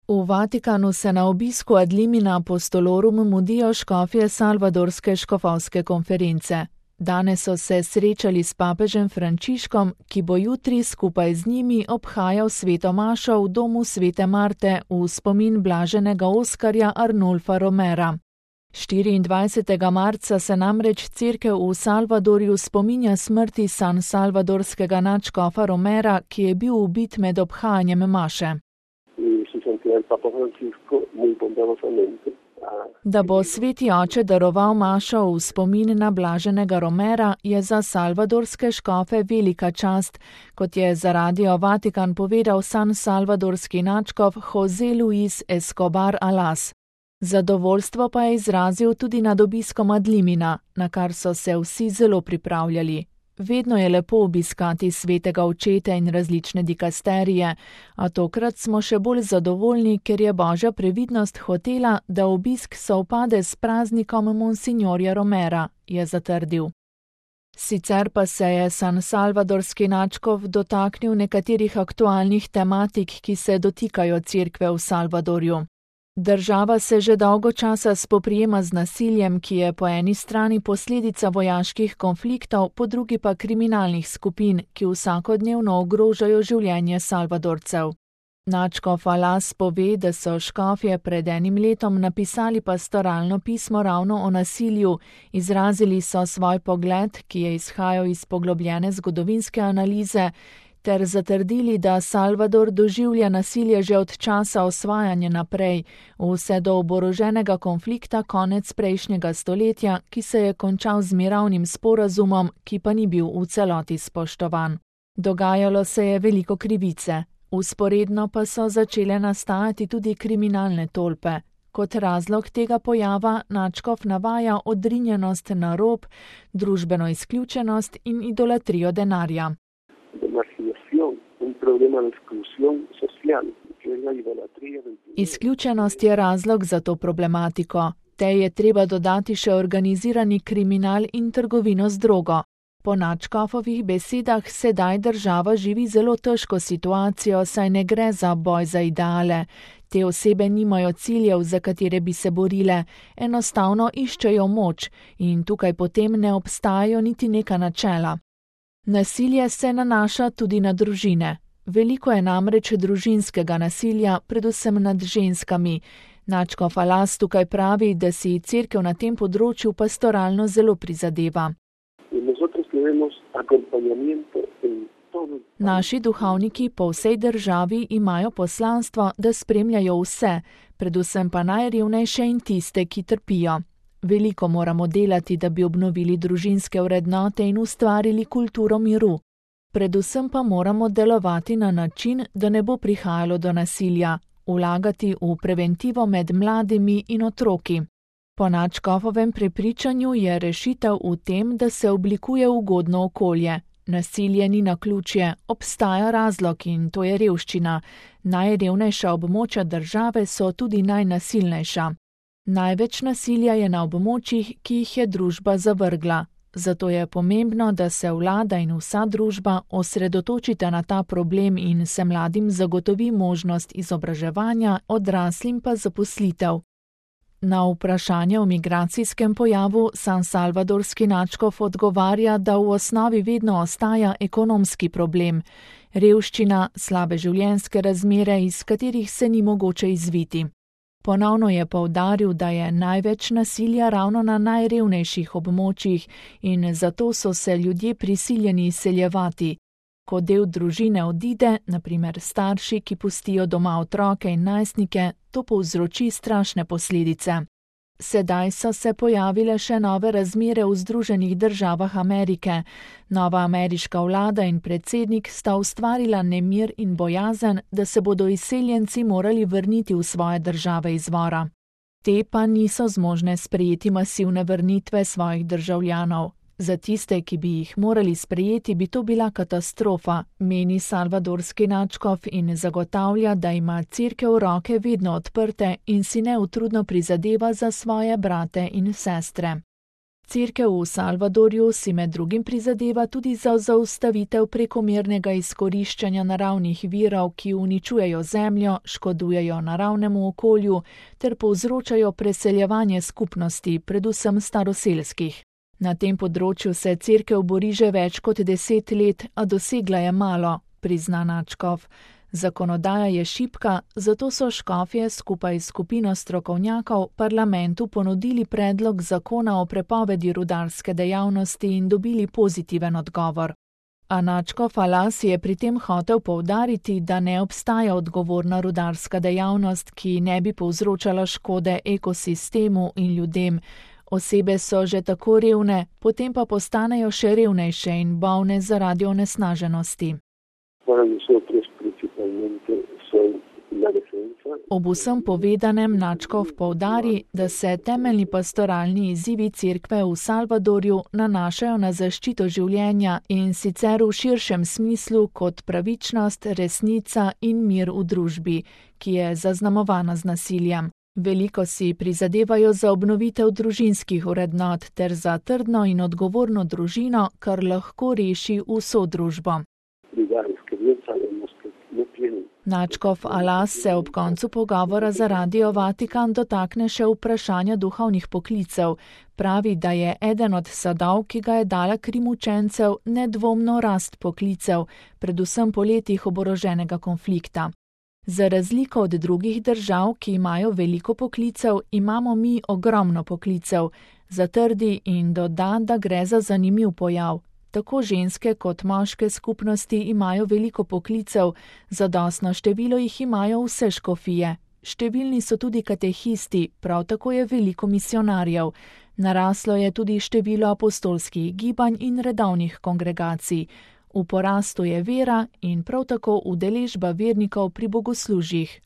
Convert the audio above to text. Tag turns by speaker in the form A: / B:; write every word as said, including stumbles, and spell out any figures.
A: V Vatikanu se na obisku ad limina apostolorum mudijo škofje Salvadorske škofovske konference. Danes so se srečali s papežem Frančiškom, ki bo jutri skupaj z njimi obhajal sveto mašo v domu svete Marte v spomin blaženega Oskarja Arnulfa Romera. štiriindvajsetega marca se namreč cerkev v Salvadorju spominja smrti san salvadorskega nadškofa Romera, ki je bil ubit med obhajanjem maše. Da bo sveti oče daroval mašo v spomin na blaženega Romera, je za salvadorske škofe velika čast, kot je za Radio Vatikan povedal san salvadorski nadškof José Luis Escobar Alas. Zadovoljstvo pa je izrazil tudi nad obiskom ad limina, na kar so se vsi zelo pripravljali. Vedno je lepo obiskati svetega očeta in različne dikasterije, a tokrat smo še bolj zadovoljni, ker je Božja previdnost hotela, da obisk sovpade s praznikom monsignorja Romera, je zatrdil. Sicer pa se je san salvadorski nadškof dotaknil nekaterih aktualnih tematik, ki se dotikajo cerkve v Salvadorju. Država se že dolgo časa spoprijema z nasiljem, ki je po eni strani posledica vojaških konfliktov, po drugi pa kriminalnih skupin, ki vsakodnevno ogrožajo življenje Salvadorcev. Nadškof Alas pove, da so škofje pred enim letom napisali pastoralno pismo ravno o nasilju, izrazili so svoj pogled, ki je izhajal iz poglobljene zgodovinske analize, ter zatrdili, da Salvador doživlja nasilje že od časa osvajanja naprej, vse do oboroženega konflikta konec prejšnjega stoletja, ki se je končal z mirovnim sporazumom, ki pa ni bil v celoti spoštovan. Dogajalo se je veliko krivice, vzporedno pa so začele nastajati tudi kriminalne tolpe. Kot razlog tega pojava nadškof navaja odrinjenost na rob, družbeno izključenost in idolatrijo denarja. Izključenost je razlog za to problematiko. Tej je treba dodati še organizirani kriminal in trgovino z drogo. Po nadškofovih besedah sedaj država živi zelo težko situacijo, saj ne gre za boj za ideale. Te osebe nimajo ciljev, za katere bi se borile, enostavno iščejo moč in tukaj potem ne obstajajo niti neka načela. Nasilje se nanaša tudi na družine. Veliko je namreč družinskega nasilja, predvsem nad ženskami. Nadškof Alas tukaj pravi, da si cerkev na tem področju pastoralno zelo prizadeva. Naši duhovniki po vsej državi imajo poslanstvo, da spremljajo vse, predvsem pa najrevnejše in tiste, ki trpijo. Veliko moramo delati, da bi obnovili družinske vrednote in ustvarili kulturo miru. Predvsem pa moramo delovati na način, da ne bo prihajalo do nasilja, vlagati v preventivo med mladimi in otroki. Po nadškofovem prepričanju je rešitev v tem, da se oblikuje ugodno okolje. Nasilje ni naključje, obstaja razlog in to je revščina. Najrevnejša območja države so tudi najnasilnejša. Največ nasilja je na območjih, ki jih je družba zavrgla. Zato je pomembno, da se vlada in vsa družba osredotočita na ta problem in se mladim zagotovi možnost izobraževanja, odraslim pa zaposlitev. Na vprašanje o migracijskem pojavu san salvadorski nadškof odgovarja, da v osnovi vedno ostaja ekonomski problem. Revščina, slabe življenjske razmere, iz katerih se ni mogoče izviti. Ponovno je poudaril, da je največ nasilja ravno na najrevnejših območjih in zato so se ljudje prisiljeni izseljevati. Ko del družine odide, na primer starši, ki pustijo doma otroke in najstnike, to povzroči strašne posledice. Sedaj so se pojavile še nove razmere v Združenih državah Amerike. Nova ameriška vlada in predsednik sta ustvarila nemir in bojazen, da se bodo izseljenci morali vrniti v svoje države izvora. Te pa niso zmožne sprejeti masivne vrnitve svojih državljanov. Za tiste, ki bi jih morali sprejeti, bi to bila katastrofa, meni salvadorski nadškof in zagotavlja, da ima cerkev roke vedno odprte in si neutrudno prizadeva za svoje brate in sestre. Cerkev v Salvadorju si med drugim prizadeva tudi za zaustavitev prekomernega izkoriščanja naravnih virov, ki uničujejo zemljo, škodujejo naravnemu okolju ter povzročajo preseljevanje skupnosti, predvsem staroselskih. Na tem področju se cerkev bori že več kot deset let, a dosegla je malo, prizna Načkov. Zakonodaja je šibka, zato so škofje skupaj s skupino strokovnjakov parlamentu ponudili predlog zakona o prepovedi rudarske dejavnosti in dobili pozitiven odgovor. A Načkov Alas je pri tem hotel poudariti, da ne obstaja odgovorna rudarska dejavnost, ki ne bi povzročala škode ekosistemu in ljudem. Osebe so že tako revne, potem pa postanejo še revnejše in bolne zaradi onesnaženosti. Ob vsem povedanem Načkov poudari, da se temeljni pastoralni izzivi cerkve v Salvadorju nanašajo na zaščito življenja in sicer v širšem smislu kot pravičnost, resnica in mir v družbi, ki je zaznamovana z nasiljem. Veliko si prizadevajo za obnovitev družinskih vrednot ter za trdno in odgovorno družino, kar lahko reši vso družbo. Načkov Alas se ob koncu pogovora za Radio Vatikan dotakne še vprašanja duhovnih poklicev. Pravi, da je eden od sadov, ki ga je dala Krim učencev, nedvomno rast poklicev, predvsem po letih oboroženega konflikta. Za razliko od drugih držav, ki imajo veliko poklicev, imamo mi ogromno poklicev. Zatrdi in doda, da gre za zanimiv pojav. Tako ženske kot moške skupnosti imajo veliko poklicev, zadostno število jih imajo vse škofije. Številni so tudi katehisti, prav tako je veliko misionarjev. Naraslo je tudi število apostolskih gibanj in redovnih kongregacij. V porastu je vera in prav tako udeležba vernikov pri bogoslužjih.